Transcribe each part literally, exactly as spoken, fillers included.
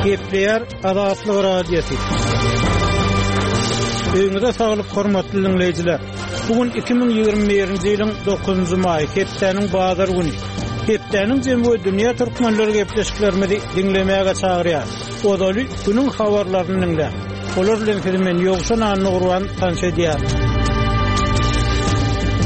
Gepleýär Azatlyk Radiosy. Öýüňize saglyk hormatly diňleýjiler. Bu gün iki müň ýigrimi birinji ýylyň dokuzynjy maýy, hepdäniň bazar güni. Hepdäniň jemi we dünýä türkmenleri gepleşiklerimizi diňlemäge çagyrýar. Ozaly günüň habarlaryny diňläň. Olar bilen sizi men Ýowşan Annagurban tanyş edýärin.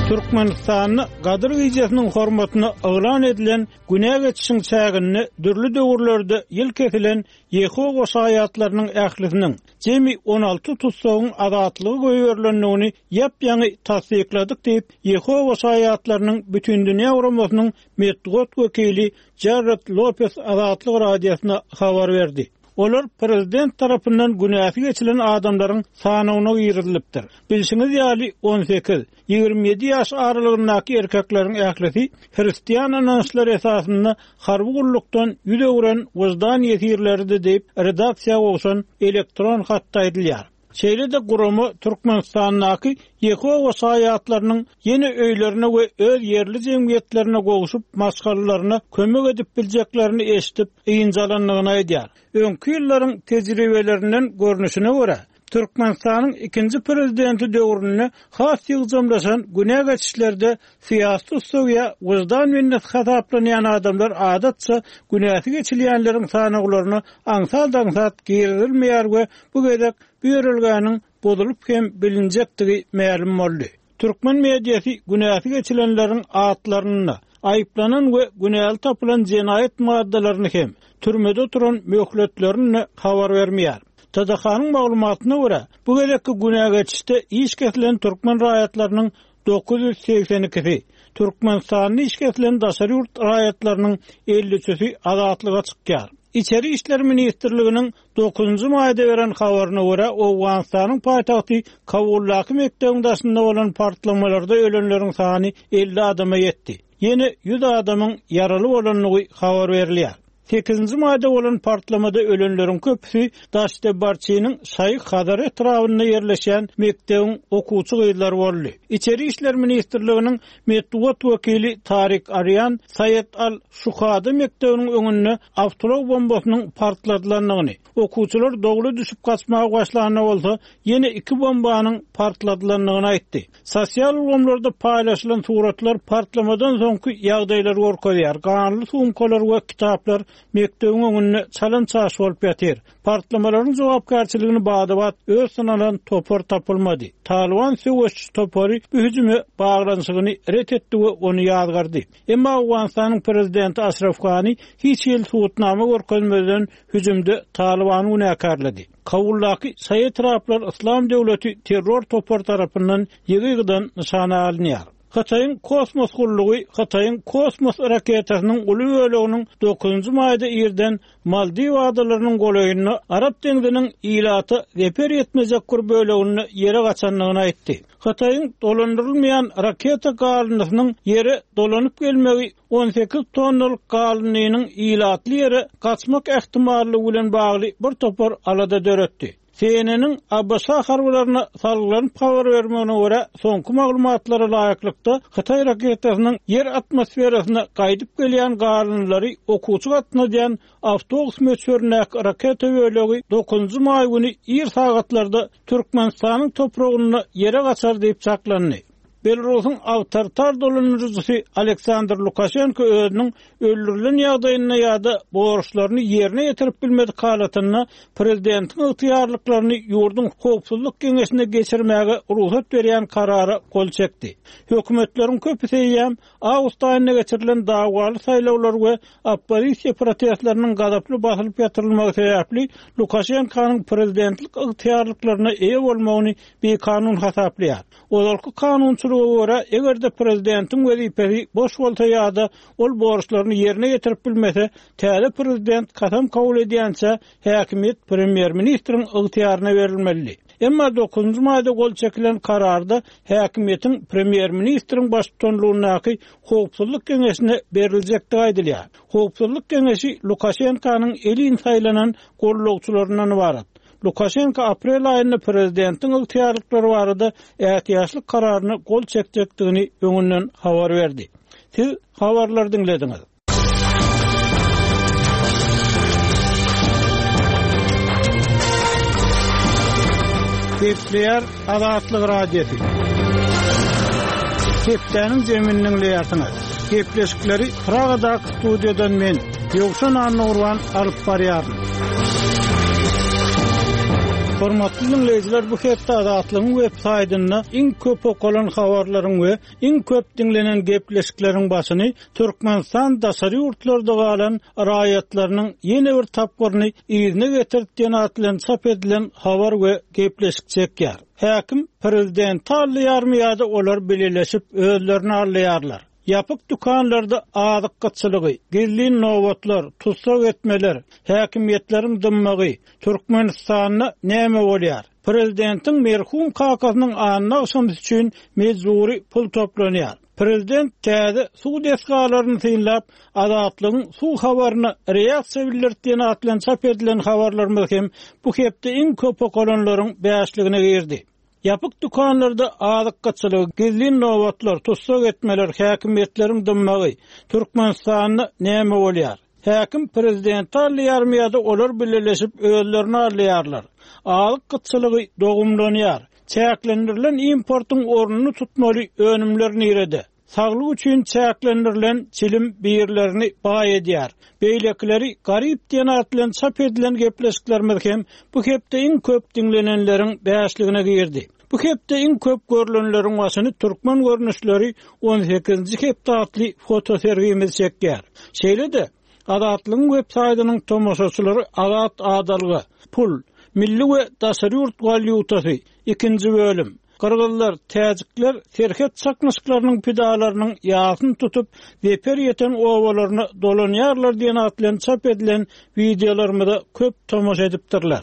Türkmenistanda Gadyr gijesiniň hormatyna yglan edilen günä geçişiň çäginde dürli döwürlerde ýyl kesilen Ýehowa şaýatlarynyň ählisiniň jemi on alty tutsagyň azatlygy goýberilendigini ýap-ýaňy tassykladyk diýip, Ýehowa şaýatlarynyň Bütindünýä Guramasynyň metbugat wekili Jared Lopez Azatlyk Radiosyna habar berdi. Olar prezident tarapyndan günäsi geçilen adamlaryň sanawyna girizilipdir. Bilşiňiz ýaly on sekiz, ýigrimi ýedi ýaş aralygyndaky erkekleriň ählisi hristian ynançlary esasynda harby gullukdan ýüz öwren wyždan ýesirleridi diýip redaksiýa gowşan elektron hatda aýdylýar. Şeýle-de gurama Türkmenistandaky Ýehowa şaýatlarynyň ýene öýlerine we öz ýerli jemgyýetlerine gowşup maşgalalaryna kömek edip biljeklerini eşidip ynjalandygyny aýdýar. Öňki ýyllaryň tejribelerinden görnüşine görä, Türkmenistanyň ikinji prezidenti döwründe has ýygjamlaşan günä geçişlerde syýasy tutsaw wyždan bendesi hasaplanýan adamlar adatça günäsi geçilýänleriň sanawlaryna aňsat-aňsat girizilmeýär we bu gezek bu ýörelgäniň bozulyp hem bilinjekdigi mälim boldy. Türkmen mediasy günäsi geçilenleriň atlaryny, aýyplanan we günäli tapylan jenaýat maddalaryny hem türmede oturan möhletlerini habar bermeýär. T D H-nyň maglumatyna görä, bu gezekki günä geçişde iş kesilen türkmen raýatlarynyň dokuz ýüz segsen ikisi, Türkmenistanda iş kesilen daşary ýurt raýatlarynyň elli üçüsi azatlyga çykýar. İçeri İşler Ministrliginiň dokuzynjy maýda beren habaryna görä, Owganystanyň paýtagty Kabuldaky mekdebiň daşynda bolan partlamalarda ölenleriň sany elli adama ýetdi. Ýene ýüz adamyň ýaraly bolandygy habar berilýär. Sekizinji maýda bolan partlamada ölenleriň köpüsi Daşdebarçynyň Şaýy Hazar etrabynda ýerleşen mekdebiň okuwçy gyzlary boldy. İçeri İşler Ministrliginiň metbugat wekili Tarik Aryan Saýet Al Şuhada mekdebiniň öňünde awtoulag bombasynyň partladylandygyny, okuwçylar dogry düşüp gaçmaga başlanda bolsa ýene iki bombanyň partladylandygyny aýtdy. Sosial ulgamlarda paýlaşylan suratlar partlamadan soňky ýagdaýlary görkezýär. Ganly sumkalar we kitaplar mekdebiň öňünde çalan çaş bolup ýatyr. Partlamalaryň jogapkärçiligini badabat öz synalan topar tapylmady. Taliban söweşçi topary bu hüjüme baglanyşygyny ret etdi we ony ýazgardy. Emma Owganystanyň prezidenti Aşraf Gani hiç hili subutnama görkezmeden hüjümde Talibany günäkärledi. Kabuldaky Şaýy etraplar Islam döwleti terror topar tarapyndan ýygy-ýygydan nyşana alynýar. Hytaýyň kosmos gullugy Hytaýyň kosmos raketasynyň uly böleginiň dokuzynjy maýda irden Maldiw adalarynyň golaýynda Arap deňziniň ilata zeper ýetmejek bir böleginde ýere gaçandygyny aýtdy. Hytaýyň dolandyrylmaýan raketa galyndysynyň ýere dolanyp gelmegi on sekiz tonnalyk galyndynyň ilatly ýere gaçmak ähtimallygy bilen bagly bir topar alada döretdi. C N N-iň A B Ş harbylaryna salgylanyp habar bermegine görä, soňky maglumatlara laýyklykda Hytaý raketasynyň ýer atmosferasyna gaýdyp gelýän galyndylary okuwçy gatnadýan awtobus möçberindäki raketa bölegi dokuzynjy maý güni ir sagatlarda Türkmenistanyň topragynda ýere gaçar diýip çaklandy. Belarusyň awtoritar dolandyryjysy Aleksandr Lukaşenko özüniň öldürilen ýagdaýynda ýa-da borçlaryny ýerine ýetirip bilmedik halatynda prezidentiň ygtyýarlyklaryny ýurduň howpsuzlyk geňeşine geçirmäge rugsat berýän karara gol çekdi. Hökümetleriň köpüsi eýýäm awgust aýynda geçirilen dawaly saýlawlar we oppozisiýa protestleriniň gazaply basylyp ýatyrylmagy sebäpli Lukaşenkonyň prezidentlik ygtyýarlyklaryna eýe bolmagyny bikanun hasaplaýar. Ozalky kanunçylyga görä, eger-de prezidentiň wezipesi boş bolsa ýa-da ol borçlaryny ýerine ýetirip bilmese, täze prezident kasam kabul edýänçä häkimiýet premýer-ministriň ygtyýaryna berilmeli. Emma dokuzynjy maýda gol çekilen kararda häkimiýetiň premýer-ministriň baştutanlygyndaky howpsuzlyk geňeşine beriljekdigi aýdylýar. Howpsuzlyk geňeşi Lukaşenkonyň elin saýlanan gollagçylaryndan ibarat. Lukaşenko aprel aýynda prezidentiň ygtyýarlyklary barada ätiýaçlyk kararyna gol çekjekdigini öňünden habar berdi. Siz habarlary diňlediňiz. Gepleýär Azatlyk Radiosy. Hepdäniň zemini diňleýärsiňiz. Gepleşikleri Pragadaky studiýadan men Ýowşan Annagurban alyp barýaryn. Hormatly dinleýjiler, bu hepde Azatlygyň web saýtynda iň köp okalan habarlaryň we iň köp diňlenen gepleşikleriň başyny Türkmenistan daşary ýurtlarda galan raýatlarynyň ýene bir tapgyryny yzyna getirip diýen atly çap edilen habar we gepleşik çekýär. Häkim prezident alýarmy ýa-da olar bileleşip özlerini alýarlar. Ýapyk dükanlarda azyk gytçylygy, gizlin nobatlar, tussag etmeler, häkimiýetleriň dymmagy Türkmenistanda näme bolýar? Prezidentiň merhum kakasynyň anna agşamy üçin mejburi pul toplanýar. Prezident täze suw desgalaryny synlap, Azatlygyň suw habaryna reaksiýa bildirtdiğini atlan çap edilen habarlarymyz hem bu hepde iň köp okalanlaryň bäşligine girdi. Ýapyk dükanlarda azyk gytçylygy, gizlin nobatlar, tussag etmeler, häkimiýetleriň dymmagy Türkmenistanda näme bolýar? Häkim prezident alýarmy ýa-da olar bileleşip özlerini alýarlar. Azyk gytçylygy dogumlanýar. Çäklendirilen importyň ornuny tutmaly önümler nirede? Saglyk üçin çäklendirilen çilim birlerini baý edýär. Beýlekileri garyp diýen atly çap edilen gepleşiklerimiz hem bu hepde iň köp diňlenenleriň bäşligine girdi. Bu hepde iň köp görülenleriň başyny türkmen görnüşleri on sekizinji hepde atly fotosergimiz çekýär. Şeýle-de Azatlygyň web saýtynyň tomaşaçylary Azat Adalga, pul, milli we daşary ýurt walýutasy, ikinji bölüm. Gyrgyzlar, täjikler serhet çaknyşyklarynyň pidalarynyň ýasyny tutup, zeper ýeten owalaryna dolanýarlar diýen atly çap edilen wideolarymyza köp tomaşa edipdirler.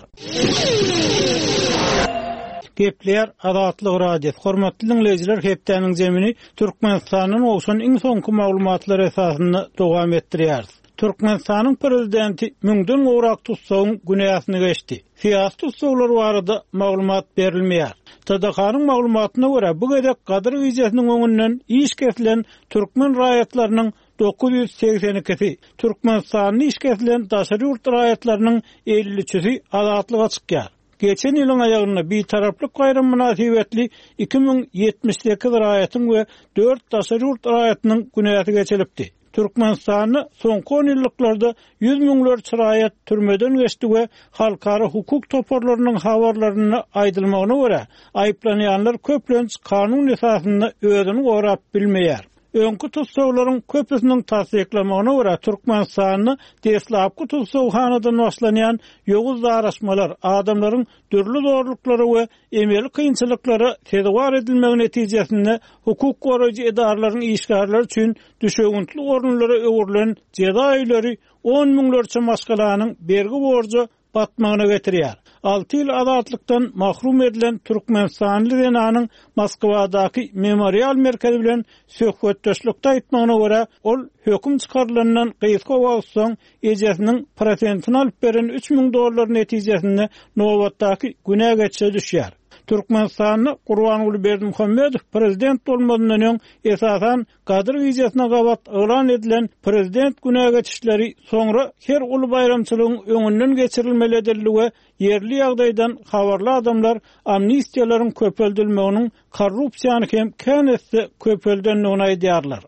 Gepleýär Azatlyk Radiosy. Hormatly dinleýjiler, hepdäniň zemini Türkmenistandan olsun iň soňky maglumatlar esasynda dowam etdirýäris. Türkmenistanyň prezidenti müňden gowrak tutsagyň günäsini geçdi. Syýasy tutsaglar barada maglumat berilmeýär. T D K-nyň maglumatyna görä, bu gezek Gadyr gijesiniň öňünden iş kesilen türkmen raýatlarynyň dokuz ýüz segsen ikisi, Türkmenistanyň iş kesilen daşary ýurt raýatlarynyň elli üçüsi azatlyga çykýar. Geçen ýylyň aýagynda bitaraplyk baýram mynasybetli iki müň ýetmiş sekiz raýatyň we dört daşary ýurt raýatynyň günäsi geçilipdi. Türkmenistanda soňky on ýyllyklarda ýüz müňlerçe raýat türmeden geçdi we halkara hukuk toparlarynyň habarlarynda aýdylmagyna görä, aýyplanýanlar köplenç kanun esasynda özüni gorap bilmeýär. Öňki tutsaglaryň köpüsiniň tassyklamagyna görä, Türkmenistanda deslapky tutsaghanadan başlanýan ýowuz daraşmalar, adamlaryň dürli zorluklara we emeli kynçylyklara sezewar edilmegi netijesinde hukuk goraýjy edaralaryň işgärleri üçin düşewüntli orunlara öwrülen jeza öýleri on müňlerçe maşgalanyň bergi borja batmagyna getirýär. Alty ýyl azatlykdan mahrum edilen Türkmenistanly zenanyň Moskwadaky memorial merkezi bilen söhbetdeşlikde aýtmagyna görä, ol höküm çykarylandan gysga wagt soň ejesiniň prosentini alyp beren üç müň dollar netijesinde nobatdaky günä geçişe düşýär. Türkmenistanda Gurbanguly Berdimuhamedow prezident bolmazyndan öň esasan Gadyr gijesine gabat yglan edilen prezident günä geçişleri soňra her uly baýramçylygyň öňünden geçirilmeli edildi we ýerli ýagdaýdan habarly adamlar amnistiýalaryň köpeldilmeginiň korrupsiýany hem kän etse köpeldendigini aýdýarlar.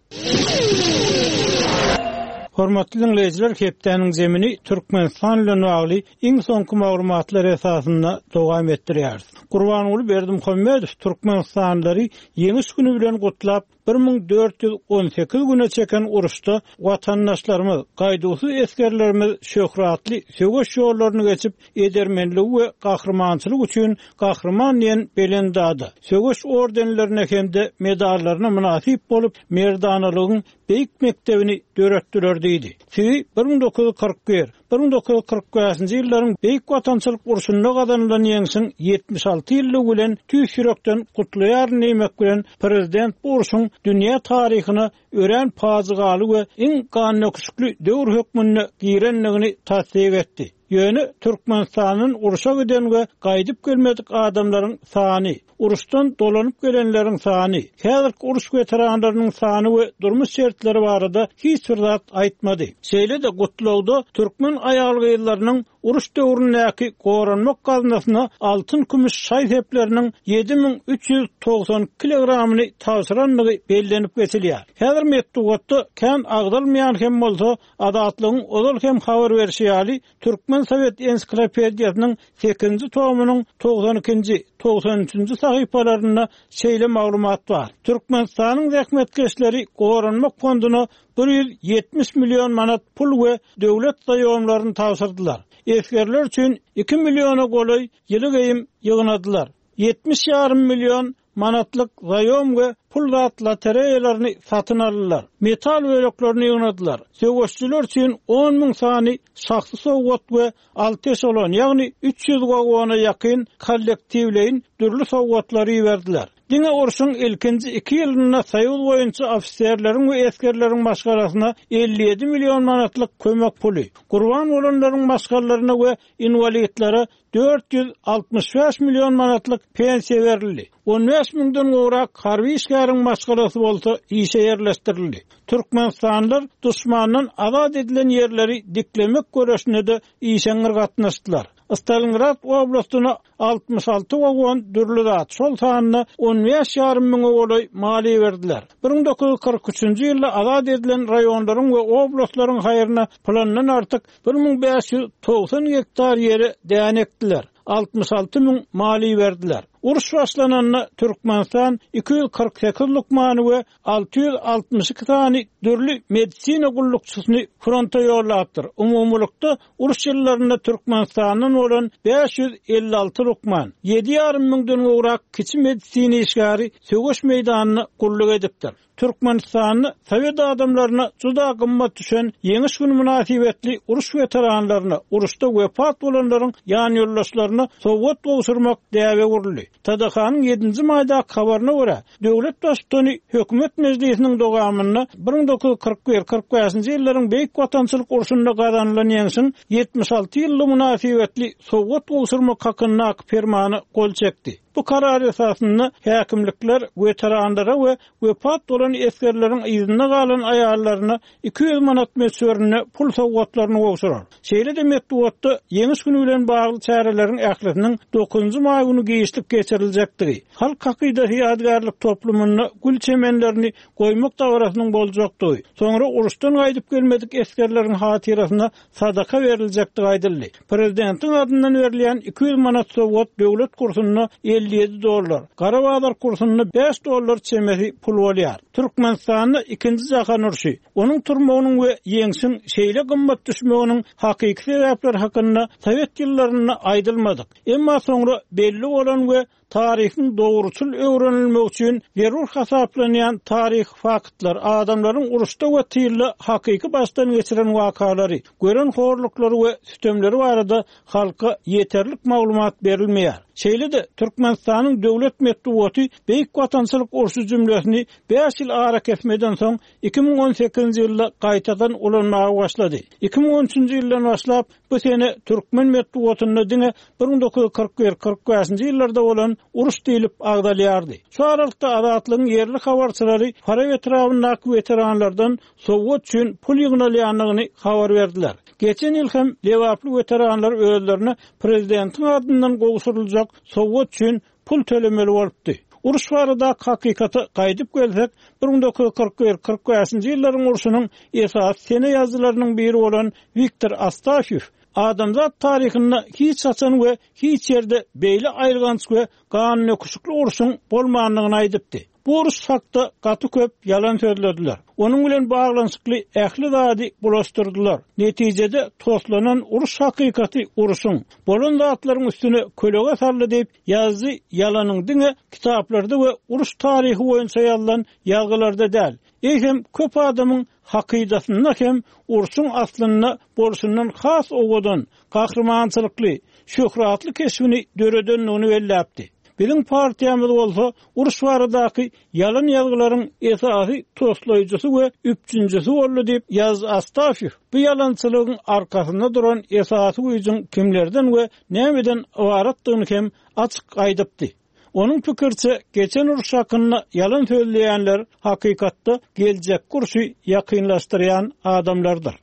Hormatly dinleýjiler, hepdäniň zemini Türkmenistan bilen bagly iň soňky maglumatlar esasynda dowam etdirýäris. Gurbanguly Berdimuhamedow Türkmenistanlylary ýeňiş güni bilen gutlap, bir müň dört ýüz on sekiz güne çeken uruşda watandaşlarymyz, gaýduwsyz esgerlerimiz şöhratly söweş ýollaryny geçip, edermenligi we gahrymançylyk üçin gahryman diýen belent ada, söweş ordenlerine hem-de medallaryna mynasyp bolup, merdanalygyň beýik mekdebini döretdiler diýdi. Sizi bir müň dokuz ýüz kyrk bir, bir müň dokuz ýüz kyrk bäşinji ýyllaryň Beýik Watançylyk urşunda gazanylan ýeňşiň ýetmiş alty ýyllygy bilen tüýs ýürekden gutlaýaryn diýmek bilen prezident bu urşuň dünýä taryhyna örän pajygaly we iň gandöküşikli döwür hökmünde girendigini tassyk etdi. Ýöne Türkmenistandan urşa giden we gaýdyp gelmedik adamlaryň sany, uruşdan dolanyp gelenleriň sany, häzirki uruş weteranlarynyň sany we durmuş şertleri barada hiç bir zat aýtmady. Şeýle-de gutlagda türkmen aýal-gyzlarynyň uruş döwründäki goranmak gaznasyna altyn kümüş şaý sepleriniň ýedi müň üç ýüz togsan kilogramyny tabşyrandygy bellenip geçilýär. Häzir metbugatda kän agzalmaýan hem bolsa Azatlygyň ozal hem habar berişi ýaly Türkmen Sowet ensiklopediýasynyň sekizinji tomunyň togsan ikinji, togsan üçünji sahypalarynda şeýle maglumat bar. Türkmenistanyň zähmetkeşleri goranmak fonduna bir ýüz ýetmiş million manat pul we döwlet zaýomlaryny tabşyrdylar. Esgerler üçin iki milliona golaý ýyly geýim ýygnadylar. Ýetmiş ýarym million manatlyk zaýom we pul zat lotereýalaryny satyn aldylar. Metal böleklerini ýygnadylar. Söweşçiler üçin on müň sany şahsy sowgat we alty eşelon, ýagny üç ýüz wagona ýakyn kollektiwleýin dürli sowgatlary iberdiler. Diňe urşuň ilkinji iki ýylynda Soýuz boýunça ofiserleriň we esgerleriň maşgalasyna elli ýedi million manatlyk kömek puly, gurban bolanlaryň maşgalalaryna we inwalidlere dört ýüz altmyş bäş million manatlyk pensiýa berildi. On bäş müňden gowrak harby işgäriň maşgalasy bolsa işe ýerleşdirildi. Türkmenistanlylar duşmandan azat edilen ýerleri diklemek göreşine-de işeňňir gatnaşdylar. Stalingrad oblastyna altmyş alty wagon dürli zat, şol sanda on bäş ýarym müňe golaý maliýe berdiler. bir müň dokuz ýüz kyrk üçünji ýylda azat edilen raýonlaryň we oblastlaryň haýryna plandan artyk bir müň bäş ýüz togsan gektar ýere däne ekdiler. Altmyş alty müň maliýe berdiler. Uruş başlananda Türkmenistan iki ýüz kyrk sekiz lukmany we alty ýüz altmyş iki sany dürli medisina gullukçysyny fronta ýollapdyr. Umumylykda uruş ýyllarynda Türkmenistandan bolan bäş ýüz elli alty lukman, ýedi ýarym müňden gowrak kiçi medisina işgäri söweş meýdanyna gulluk edipdir. Türkmenistanda Sowet adamlaryna juda gymmat düşen ýeňiş günü mynasybetli uruş weteranlaryna, uruşda wepat bolanlaryň ýan ýoldaşlaryna sowgat gowşurmak däbe guruldy. T D H-nyň ýedinji maýdaky habaryna görä, döwlet baştutany hökümet mejlisiniň dowamynda bir müň dokuz ýüz kyrk bir kyrk bäşinji ýyllaryň Beýik Watançylyk urşunda gazanylan ýeňşiň ýetmiş alty ýyllygy mynasybetli sowgat gowşurmak hakyndaky fermana gol çekdi. Bu karar esasynda häkimlikler weteranlara we wepat bolan esgerleriň yzynda galan aýallaryna iki ýüz manat möçberinde pul sowgatlaryny gowşurar. Şeýle-de metbugatda ýeňiş günü bilen bagly çäreleriň ählisiniň dokuzynjy maý günü giçlik geçiriljekdigi, Halk hakydasy ýadygärlik toplumynda gül çemenlerini goýmak dabarasynyň boljakdygy, soňra uruşdan gaýdyp gelmedik esgerleriň hatyrasyna sadaka beriljekdigi aýdyldy. Prezidentiň adyndan berilýän iki ýüz manat sowgat döwlet kursunda elli ýedi dollar, Gara bazar kursunda bäş dollar çemesi pul bolýar. Türkmenistanda ikinji jahan urşy, onuň turmagynyň we ýeňşiň şeýle gymmat düşmeginiň hakyky sebäpleri hakynda Sowet ýyllarynda aýdylmadyk. Emma soňra belli bolan we taryhyň dogruçyl öwrenilmegi üçin zerur hasaplanýan taryh faktlar, adamlaryň uruşda we tylda hakyky başdan geçiren wakalary, gören horluklary we sütemleri barada halka ýeterlik maglumat berilmeýär. Şeýle-de Türkmenistanyň döwlet metbugaty Beýik Watançylyk urşy jümlesini bäş ýyl ara kesmeden soň iki müň on sekizinji ýylda gaýtadan ulanmaga başlady. Iki müň on üçünji ýyldan başlap bu sene türkmen metbugatynda diňe bir müň dokuz ýüz kyrk bir kyrk bäşinji ýyllarda bolan uruş diýlip agzalýardy. Şu aralykda Azatlygyň ýerli habarçylary Farap etrabyndaky weteranlardan sowgat üçin pul ýygnalýandygyny habar berdiler. Geçen ýyl hem Lebaply weteranlar özlerine prezidentiň adyndan gowşuryljak sowgat üçin pul tölemeli bolupdy. Uruş barada hakykata gaýdyp gelsek, bir müň dokuz ýüz kyrk bir kyrk bäşinji ýyllaryň urşunyň esasy sene ýazyjylarynyň biri bolan Wiktor Astafýew adamzat taryhynda hiç haçan we hiç ýerde beýle aýylganç we ganöküşikli urşuň bolmandygyny aýdypdy. Bu uruş hakda gaty köp ýalan sözlediler. Onuň bilen baglanyşykly ähli zady bulaşdyrdylar. Netijede toslanan uruş hakykaty urşuň bolan zatlaryň üstüne kölege saldy diýip, ýazyjy ýalanyň diňe kitaplarda we uruş taryhy boýunça ýazylan ýazgylarda däl, eýsem köp adamyň hakydasynda hem urşuň aslynda bolşundan has owadan, gahrymançylykly, şöhratly keşbini döredendigini belläpdi. Biziň partiýamyz bolsa uruş baradaky ýalan ýazgylaryň esasy toslaýjysy we üpjünjisi boldy diýip ýazdy Astafiew. Bu ýalançylygyň arkasynda duran esasy güýjüň kimlerden we nämeden ybaratdygyny hem açyk aýdypdy. Onuň pikirçe geçen uruş hakynda ýalan sözleýänler hakykatda geljek urşy ýakynlaşdyrýan adamlardyr.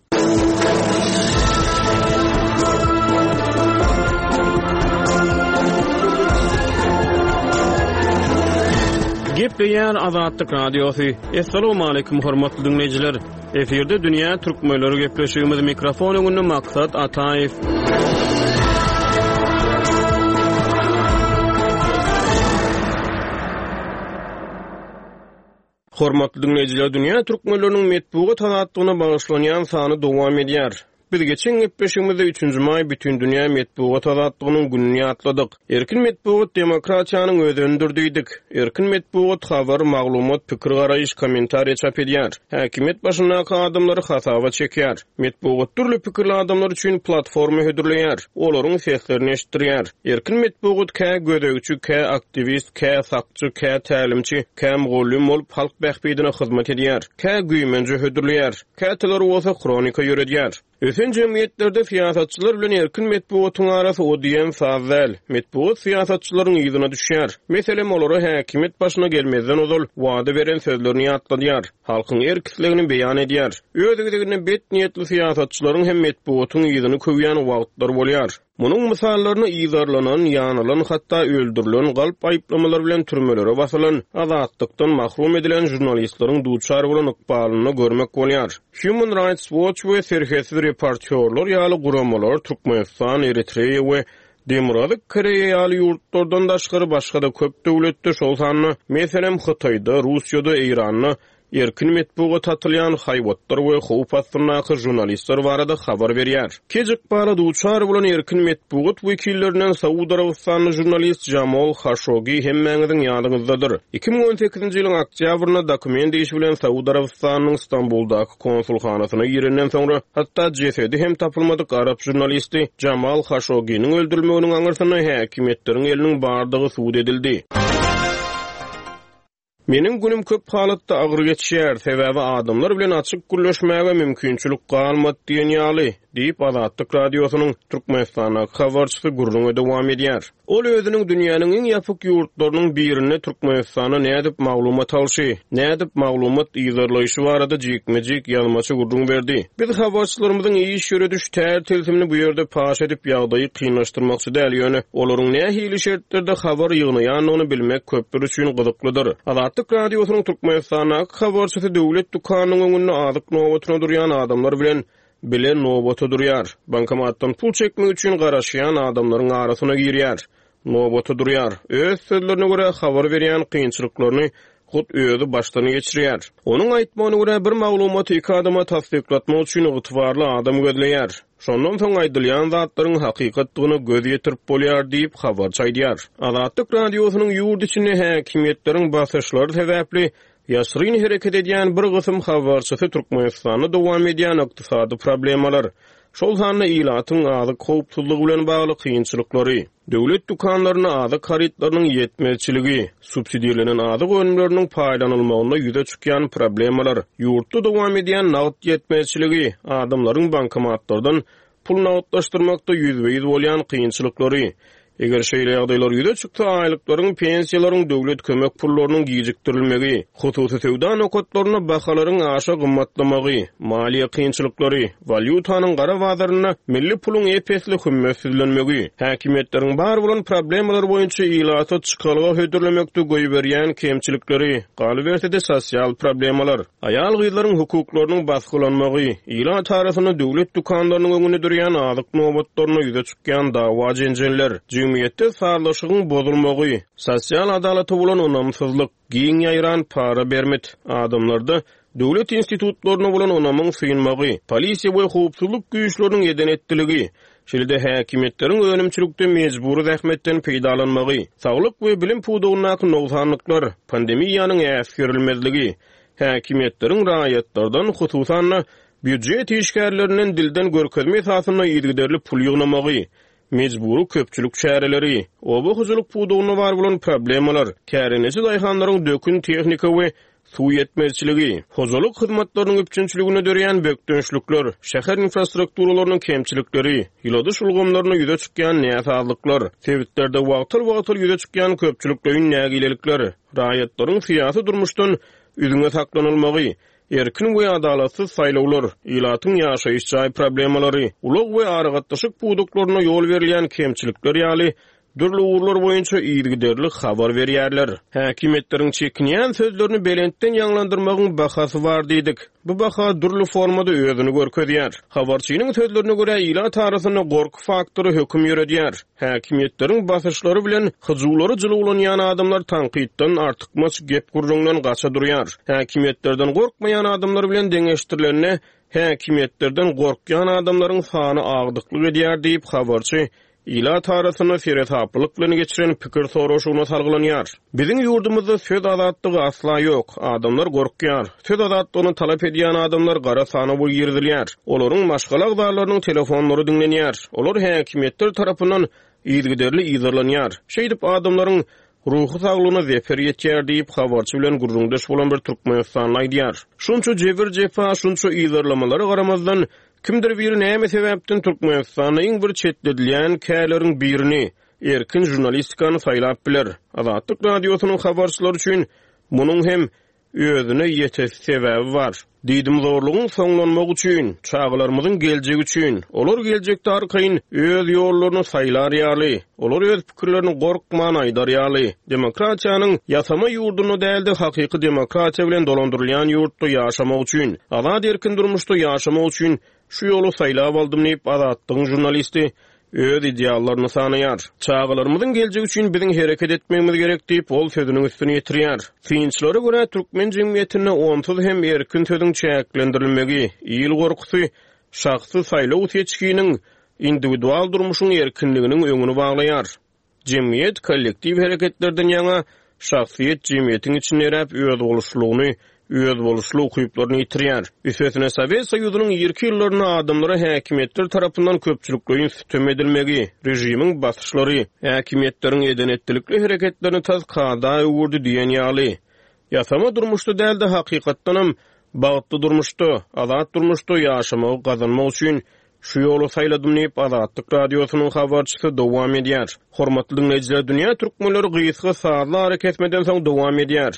Gepleýär Azatlyk Radiosy. Essalamu aleýkum hormatly dinleýjiler. Efirde Dünýä Türkmenleri gepleşigimiz mikrofon öňünde Maksat Ataýew. Hormatly dinleýjiler, Dünýä Türkmenleriniň metbugat azatlygyna bagyşlanýan sany dowam edýär. Biz geçen gepleşigimizde üçünji maý Bütindünýä metbugat azatlygynyň gününi ýatladyk. Erkin metbugat demokratiýanyň özenidir diýdik. Erkin metbugat habar, maglumat, pikir garaýyş, kommentariýa çap edýär. Häkimiýet başyndaky adamlary hasaba çekýär. Metbugat dürli pikirli adamlar üçin platforma hödürleýär. Olaryň seslerini eşitdirýär. Erkin metbugat kä gözegçi, kä aktiwist, kä sakçy, kä tälimçi, kä mugallym bolup halk bähbidine hyzmat edýär. Kä güýmenje hödürleýär. Käteler bolsa kronika ýöredýär. Ösen jemgyýetlerde syýasatçylar bilen erkin metbugatyň arasy o diýen saz däl. Metbugat syýasatçylaryň ýüzüne düşýär. Meselem, olara häkimiýet başyna gelmezden ozal wada beren sözlerini ýatladýar. Halkyň erk islegini beýan edýär. Öz gezeginde bet niýetli syýasatçylaryň hem metbugatyň ýüzüni köwýän wagtlar bolýar. Munuň mysallaryny ýygarlanan, ýanylan, hatda öldürilen, galp aýyplamalar bilen türmelere basylan, azatlykdan mahrum edilen jurnalistleriň duçar bolan ykbalyny görmek bolýar. Human Rights Watch we Serhetsiz reportýorlar ýaly guramalar Türkmenistan, Eritreýa we Demirgazyk Koreýa ýaly ýurtlardan daşgary başga-da köp döwletde, şol sanda, meselem, Hytaýda, Russiýada, Eýranda erkin metbugat atylýan haýwatlar we howp astyndaky jurnalistler barada habar berýär. Kej ykbala duçar bolan erkin metbugat wekillerinden Saud Arabistanly jurnalist Jamal Khashoggi hemmäňiziň ýadyňyzdadyr. iki müň on sekizinji ýylyň oktýabrynda dokument işi bilen Saud Arabistanyň Stambuldaky konsulhanasyna girenden soňra hatda jesedi hem tapylmadyk arap jurnalisti Jamal Khashogginiň öldürilmeginiň aňyrsynda häkimiýetleriň eliniň bardygy subut edildi. Meniň günüm köp halatda agyr geçýär, sebäbi adamlar bilen açyk gürleşmäge mümkinçilik galmady diýen ýaly, diýip Azatlyk Radiosynyň Türkmenistandaky habarçysy gürrüňe dowam edýär. Ol özüniň dünýäniň iň ýapyk ýurtlarynyň birinde Türkmenistana nädip maglumat alşy, nädip maglumat ýygarlaýşy barada jikme-jik ýazmaça gürrüň berdi. Biz habarçylarymyzyň iş ýörediş tär tilsimini bu ýerde paş edip ýagdaýy kynlaşdyrmakçy däl, ýöne olaryň nähili şertlerde habar ýygnaýandygyny bilmek köpler üçin gyzyklydyr. Azatlyk Radiosynyň Türkmenistandaky habarçysy döwlet dükanynyň öňünde azyk nobatyna durýan adamlar bilen bile nobata durýar. Bankomatdan pul çekmek üçin garaşýan adamlaryň arasyna girýär. Nobata durýar. Öz sözlerine görä habar berýän kynçylyklaryny hut özi başdan geçirýär. Onuň aýtmagyna görä bir maglumaty iki adama tassyklatmak üçin ygtybarly adam gözleýär. Şondan soň aýdylýan zatlaryň hakykatdygyna göz ýetirip bolýar diýip habarçy aýdýar. Azatlyk Radiosynyň ýurt içinde häkimiýetleriň basyşlary sebäpli ýaşyryn hereket edýän bir gysym habarçysy Türkmenistanda dowam edýän ykdysady problemalar, şol sanda ilatyň azyk howpsuzlygy bilen bagly kynçylyklary, döwlet dükanlarynda azyk harytlarynyň ýetmezçiligi, subsidirlenen azyk önümleriniň paýlanylmagynda ýüze çykýan problemalar, ýurtda dowam edýän nagt ýetmezçiligi, adamlaryň bankomatlardan pul nagtlaşdyrmakda ýüzbe-ýüz bolýan kynçylyklary, eger şeýle ýagdaýlar ýüze çyksa, aýlyklaryň, pensiýalaryň, döwlet kömek pullarynyň gijikdirilmegi, hususy söwda nokatlarynda bahalaryň aşa gymmatlamagy, maliýe kynçylyklary, walýutanyň gara bazarynda milli puluň epesli hümmetsizlenmegi, häkimiýetleriň bar bolan problemalar boýunça ilata çykalga hödürlemekde goýberýän kemçilikleri, galyberse-de sosial problemalar, aýal-gyzlaryň hukuklarynyň basgylanmagy, ilat arasynda döwlet dükanlarynyň öňünde durýan azyk nobatlaryna ýüze çykýan dawa jenjeller, jemgyýetde sazlaşygyň bozulmagy, sosial adalata bolan ynamsyzlyk, giň ýaýran para bermit, adamlarda döwlet institutlaryna bolan ynamyň synmagy, polisiýa we howpsuzlyk güýçleriniň eden etdiligi, şeýle-de häkimiýetleriň önümçilikde mejbury zähmetden peýdalanmagy, saglyk we bilim pudagyndaky nogsanlyklar, pandemiýanyň äsgerilmezligi, häkimiýetleriň raýatlardan, hususan-da býujet işgärlerinden dilden görkezme esasynda yzygiderli pul ýygnamagy, mejbury köpçülik çäreleri, oba hojalyk pudagynda bar bolan problemalar, kärendeçi daýhanlaryň dökün tehnika we suw ýetmezçiligi, hojalyk hyzmatlarynyň üpjünçiliginde döreýän bökdençlikler, şäher infrastrukturalarynyň kemçilikleri, ýyladyş ulgamlarynda ýüze çykýan näsazlyklar, sebitlerde wagtal-wagtal ýüze çykýan köpçülikleýin nägilelikler, raýatlaryň syýasy durmuşdan üzňe saklanylmagy, erkin we adalatsyz saýlawlar, ilatyň ýaşaýyş jaý problemalary, ulag we aragatnaşyk pudaklaryna ýol berilýän kemçilikler ýaly dürli ugurlar boýunça yzygiderli habar berýärler. Häkimiýetleriň çekinýän sözlerini belentden ýaňlandyrmagyň bahasy bar diýdik. Bu baha dürli formada özüni görkezýär. Habarçynyň sözlerine görä, ilat arasynda gorky faktory höküm ýöredýär. Häkimiýetleriň basyşlary bilen hyjuwlary jylawlanýan adamlar tankytdan artykmaç gep gürrüňden gaça durýar. Häkimiýetlerden gorkmaýan adamlar bilen deňeşdirilende häkimiýetlerden gorkýan adamlaryň sany agdyklyk edýär diýip habarçy ilat arasynda seresaplylyk bilen geçiren pikir soraşygyna salgylanýar. Biziň ýurdumyzda söz azatlygy asla ýok. Adamlar gorkýar. Söz azatlygyny talap edýän adamlar gara sanawa girizilýär. Olaryň maşgala agzalarynyň telefonlary diňlenýär. Olar häkimiýetler tarapyndan yzygiderli yzarlanýar. Şeýdip adamlaryň ruhy saglygyna zeper ýetýär diýip habarçy bilen gürrüňdeş bolan bir Türkmenistanly aýdýar. Şunça jebir jepa, şunça yzarlamalara garamazdan kimdir biri näme sebäpden Türkmenistanda iň bir çetledilýän kärleriň birini erkin žurnalistikany saýlap biler. Azatlyk radiosynyň habarçylary üçin munuň hem özüne ýetesi sebäbi bar. Diýdim zorlugyň soňlanmagy üçin, çagalarymyzyň geljegi üçin, olar geljekde arkaýyn öz ýollaryny saýlar ýaly, olar öz pikirlerini gorkman aýdar ýaly, demokratiýanyň ýasama ýurdunda dälde hakyky demokratiýa bilen dolandyrylýan ýurtda ýaşamak üçin, azat erkin durmuşda ýaşamak üçin şu ýoly saýlap aldym diýip Azatlygyň žurnalisti öz ideallaryny sanaýar. Çagalarymyzyň geljegi üçin biziň hereket etmegimiz gerek diýip ol sözüniň üstüni ýetirýär. Synçylara görä türkmen jemgyýetinde onsuz hem erkin sözüň çäklendirilmegi, il gorkusy, şahsy saýlaw seçginiň individual durmuşyň erkinliginiň öňüni baglaýar. Jemgyýet kollektiw hereketlerden ýaňa şahsyýet jemgyýetiň içinde eräp öz boluşlygyny, öz boluşly ukyplaryny ýitirýär. Üstesine Sowet Soýuzynyň irki ýyllarynda adamlara häkimiýetler tarapyndan köpçülikleýin sütem edilmegi, režimiň basyşlary, häkimiýetleriň eden-etdilikli hereketlerini tas kada öwürdi diýen ýaly. Ýasama durmuşda dälde hakykatdanam bagtly durmuşda, azat durmuşda ýaşamagy gazanmak üçin şu ýoly saýladym diýip Azatlyk radiosynyň habarçysy dowam edýär. Hormatly dinleýjiler, dünýä türkmenleri gysga sazly ara kesmeden soň dowam edýär.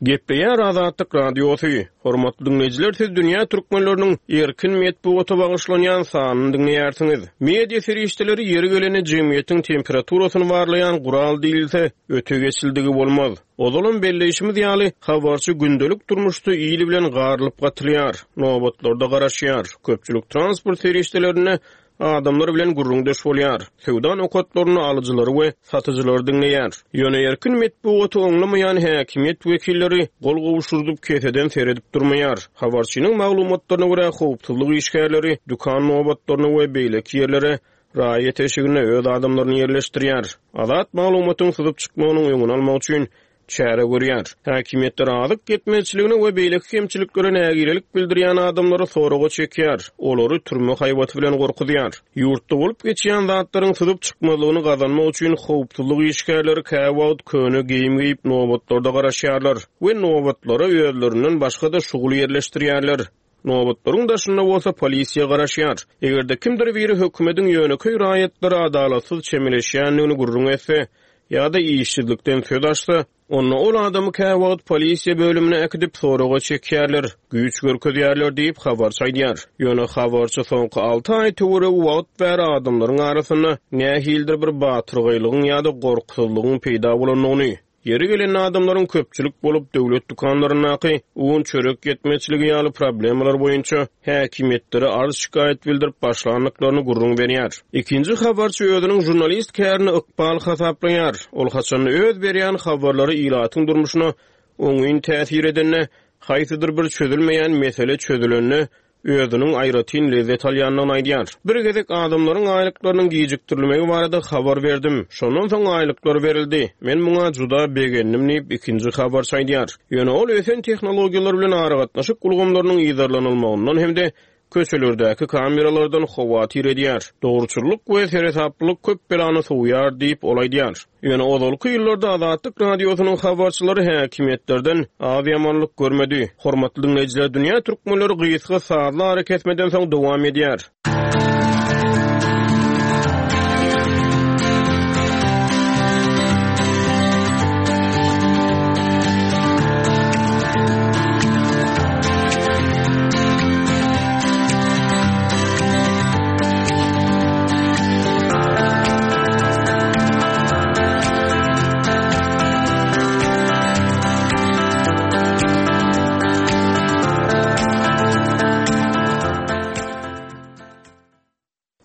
Gepleýär Azatlyk radiosy. Hormatly dinleýjiler, siz dünýä türkmenleriniň erkin metbugata bagyşlanýan sanyny diňleýärsiňiz. Media serişdeleri ýeri gelende jemgyýetiň temperaturasyny barlaýan gural diýilse, öte geçildigi bolmaz. Ozalam belleýşimiz ýaly, habarçy gündelik durmuşda ýyly bilen garylyp gatylýar, nobatlarda garaşýar, köpçülik transport serişdelerinde adamlar bilen gürrüňdeş bolýar. Söwda nokatlaryny alyjylary we satyjylary diňleýär. Ýöne erkin metbugaty oňlamaýan häkimiýet wekilleri gol gowşurdyp keseden seredip durmaýar. Habarçynyň maglumatlaryna görä howpsuzlyk işgärleri dükan nobatlaryny we beýleki ýerlere raýat eşigine öz adamlaryny ýerleşdirýär. Azat maglumatyň syzyp çykmagynyň öňüni almak üçin çäre görýär. Häkimiýetler azyk ýetmezçiligine we beýleki kemçiliklere nägilelik bildirýän adamlary soraga çekýär. Olary türme haýbaty bilen gorkuzýar. Ýurtda bolup geçýän zatlaryň syzyp çykmazlygyny gazanmak üçin howpsuzlyk işgärleri käwagt köne geýim geýip nobatlarda garaşýarlar we nobatlara özlerinden başga-da şugul ýerleşdirýärler. Nobatlaryň daşynda bolsa polisiýa garaşýar. Eger-de kimdir biri hökümetiň ýönekeý raýatlara adalatsyz çemeleşýändigini gürrüň etse ýa-da işsizlikden söz açsa, onda ol adamy käwagt polisiýa bölümine äkidip soraga çekýärler, güýç görkezýärler diýip habarçy aýdýar. Ýöne habarçy soňky alty aý töweregi wagt bäri adamlaryň arasynda nähilidir bir batyrgaýlygyň ýa-da gorkusyzlygyň peýda bolandygyny, ýeri gelen adamlaryň köpçülik bolup döwlet dükanlaryndaky un çörek ýetmezçiligi ýaly problemalar boýunça häkimiýetlere arz şikaýat bildirip başlandyklaryny gürrüň berýär. Ikinji habarçy özüniň žurnalist kärini ykbal hasaplaýar. Ol haçanda öz berýän habarlary ilatyň durmuşyna oňyn täsir edende, haýsydyr bir çözülmeýän mesele çözülende özüniň aýratyn lezzet alýandygyny aýdýar. Bir gezek adamlaryň aýlyklarynyň gijikdirilmegi barada habar berdim. Şondan soň aýlyklar berildi. Men muňa juda begendim diýip, ikinji habarçy aýdýar. Ýöne ol ösen tehnologiýalar bilen aragatnaşyk ulgamlarynyň yzarlanylmagyndan hem-de köçelerdäki kameralardan howatyr edýär. Dogruçyllyk we seresaplylyk köp belany sowýar diýip, ol aýdýar. Ýöne ozalky ýyllarda Azatlyk Radiosynyň habarçylary häkimiýetlerden az ýamanlyk görmedi. Hormatly diňleýjiler, dünýä türkmenleri gysga sazly arakesmeden soň dowam edýär.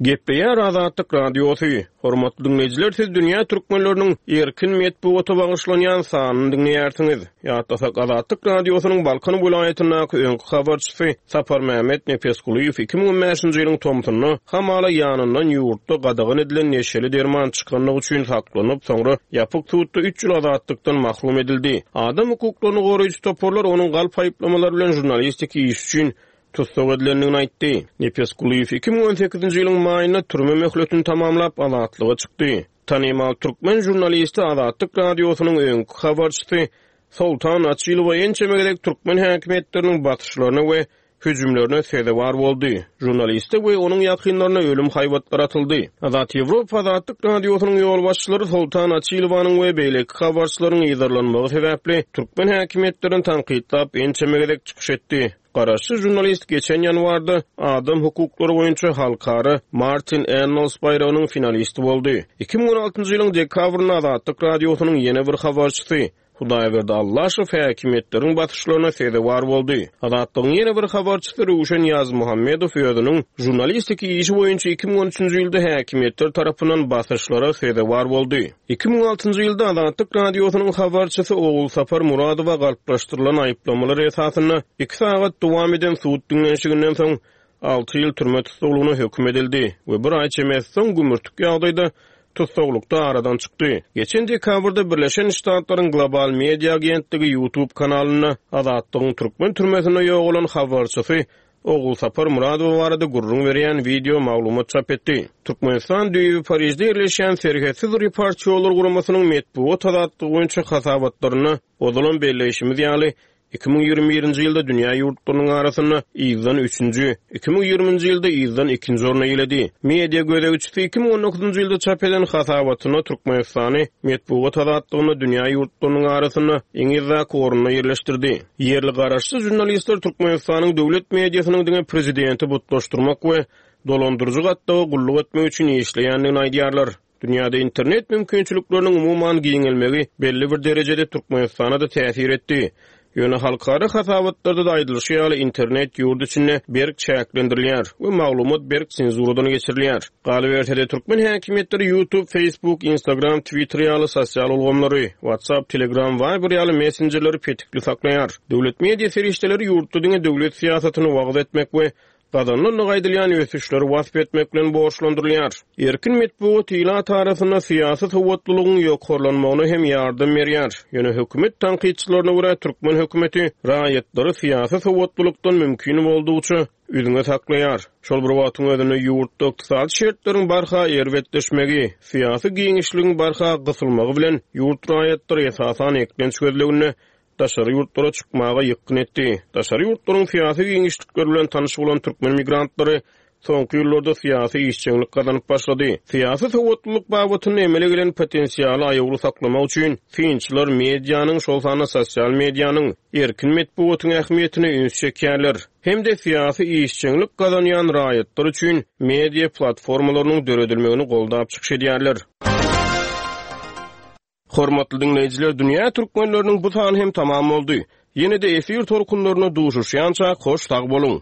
Gepleýär Azatlyk Radiosy. Hormatly diňleýjiler, siz dünýä türkmenleriniň erkin metbugata bagyşlanýan sanyny diňleýärsiňiz. Ýatlasak, Azatlyk Radiosynyň Balkan welaýatyndaky öňki habarçysy Saparmämmet Nepesgulyýew iki müň on bäşinji ýylyň tomsunda hamala ýanyndan ýurtda gadagan edilen neşeli derman çykanlygy üçin saklanyp, soňra ýapyk sudda üç ýyl azatlykdan mahrum edildi. Adam hukuklaryny goraýjy toparlar onuň galp aýyplamalar bilen žurnalistik iş üçin tussag edilendigini aýtdy. Nepesgulyýew iki müň on sekizinji ýylyň maýynda türme möhletini tamamlap azatlyga çykdy. Tanymal türkmen žurnalisti Azatlyk Radiosynyň öňki habarçysy Soltan Açylowa ençeme gezek türkmen häkimiýetleriniň basyşlaryna we hüjümlerine sezewar boldy. Žurnaliste we onuň ýakynlaryna ölüm haýbatlary atyldy. Azat Ýewropa Azatlyk Radiosynyň ýolbaşçylary Soltan Açylowanyň we beýleki habarçylaryň yzarlanmagy sebäpli türkmen häkimiýetlerini tankytlap ençeme gezek çykyş etdi. Garaşsyz žurnalist geçen ýanwarda adam hukuklary boýunça halkara Martin Ennals baýragynyň finalisti boldy. iki müň on altynjy ýylyň dekabrynda Azatlyk Radiosynyň ýene bir habarçysy Hudaýberdi Allaşow häkimiýetleriň basyşlaryna sezewar boldy. Azatlygyň ýene bir habarçysy Röwşen Ýazmuhammedow özüniň žurnalistik işi boýunça iki müň on üçünji ýylda häkimiýetler tarapyndan basyşlara sezewar boldy. iki müň altynjy ýylda Azatlyk Radiosynyň habarçysy Ogulsapar Muradowa galplaşdyrylan aýyplamalar esasynda iki sagat dowam eden sud diňlenişiginden soň alty ýyl türme tussaglygyna höküm edildi we bir aý çemesi soň gümürtik ýagdaýda tussaglykda aradan çykdy. Geçen dekabrda Birleşen Ştatlaryň Global Media Agentligi YouTube kanalynda Azatlygyň türkmen türmesinde ýogalan habarçysy Ogulsapar Muradowa barada gürrüň berýän video maglumat çap etdi. Türkmenistan düýbi Parijde ýerleşýän Serhetsiz reportýorlar guramasynyň metbugat azatlygy boýunça hasabatlarynda ozalan belleýşimiz ýaly iki müň ýigrimi birinji ýylda dünýä ýurtlarynyň arasynda ýyldan üçünji, iki müň ýigriminji ýylda ýyldan ikinji orna ýeledi. Media gözegçisi iki müň on dokuzynjy ýylda çap eden hasabatynda Türkmenistany metbugat azatlygynda dünýä ýurtlarynyň arasynda iň yzdaky orunda ýerleşdirdi. Ýerli garaşsyz žurnalistler Türkmenistanyň döwlet mediasynyň diňe prezidenti butlaşdyrmak we dolandyryjy gatlaga gulluk etmek üçin işleýändigini aýdýarlar. Dünýäde internet mümkinçilikleriniň umuman giňelmegi belli bir derejede Türkmenistana da täsir etdi. Ýöne halkara hasabatlarda da aýdylyşy ýaly internet ýurt içinde berk çäklendirilýär we maglumat berk senzuradan geçirilýär. Galyberse-de türkmen häkimiýetleri YouTube, Facebook, Instagram, Twitter ýaly sosial ulgamlary, WhatsApp, Telegram, Viber ýaly messenjerleri petikli saklaýar. Döwlet media serişdeleri ýurtda diňe döwlet syýasatyny wagyz etmek we gazanylan aýdylýan ösüşleri wasp etmek bilen borçlandyrylýar. Erkin metbugat ilat arasynda syýasy sowatlylygyň ýokarlanmagyna hem ýardam berýär. Ýöne hökümet tankytçylaryna görä türkmen hökümeti raýatlary syýasy sowatlylykdan mümkin boldugyça üzňe saklaýar. Şol bir wagtyň özünde ýurtda ykdysady şertleriň barha erbetleşmegi, syýasy giňişligiň barha gysylmagy bilen ýurt raýatlary esasan eklenç gözleginde daşary ýurtlara çykmaga ýykgyn etdi. Daşary ýurtlaryň syýasy giňişlikleri bilen tanyş bolan türkmen migrantlary soňky ýyllarda syýasy işjeňlik gazanyp başlady. Syýasy sowatlylyk babatynda emele gelen potensialy aýawly saklamak üçin synçylar medianyň, şol sanda sosial medianyň, erkin metbugatyň ähmiýetine üns çekýärler. Hem-de syýasy işjeňlik gazanýan raýatlar üçin media platformalarynyň döredilmegini goldap çykyş edýärler. Hormatly diňleýjiler, dünýä türkmenleriniň bu sany hem tamam boldy. Ýene-de efir tolkunlaryna duşuşýança hoş sag boluň.